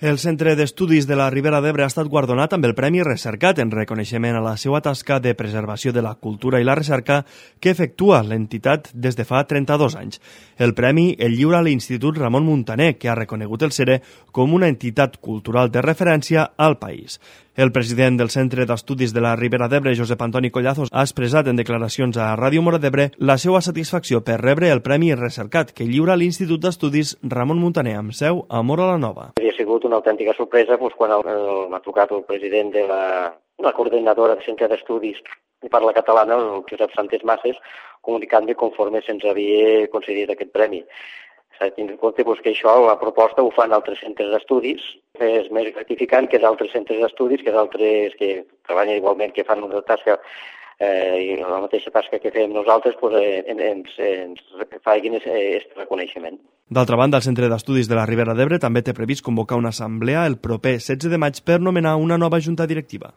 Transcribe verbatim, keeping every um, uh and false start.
El Centre d'Estudis de la Ribera d'Ebre ha estat guardonat amb el Premi Recercat en reconeixement a la seva tasca de preservació de la cultura i la recerca que efectua l'entitat des de fa trenta-dos anys. El premi el lliura l'Institut Ramon Muntaner, que ha reconegut el CERE com una entitat cultural de referència al país. El president del Centre d'Estudis de la Ribera d'Ebre, Josep Antoni Collazos, ha expressat en declaracions a Ràdio Mora d'Ebre la seva satisfacció per rebre el Premi Recercat que lliura l'Institut d'Estudis Ramon Muntaner amb seu a Móra la Nova. Ha sigut una autèntica sorpresa doncs, quan m'ha trucat el president de la, la coordinadora del Centre d'Estudis i Parla Catalana, el Josep Santés Masses, comunicant-me conforme se'ns havia concedit aquest premi. S'ha de tenir en compte doncs, que això, la proposta, ho fan altres centres d'estudis. És més gratificant que d'altres centres d'estudis, que d'altres que treballen igualment, que fan una tasca eh, i la mateixa tasca que fem nosaltres, doncs, eh, ens, ens facin aquest reconeixement. D'altra banda, el Centre d'Estudis de la Ribera d'Ebre també té previst convocar una assemblea el proper setze de maig per nomenar una nova junta directiva.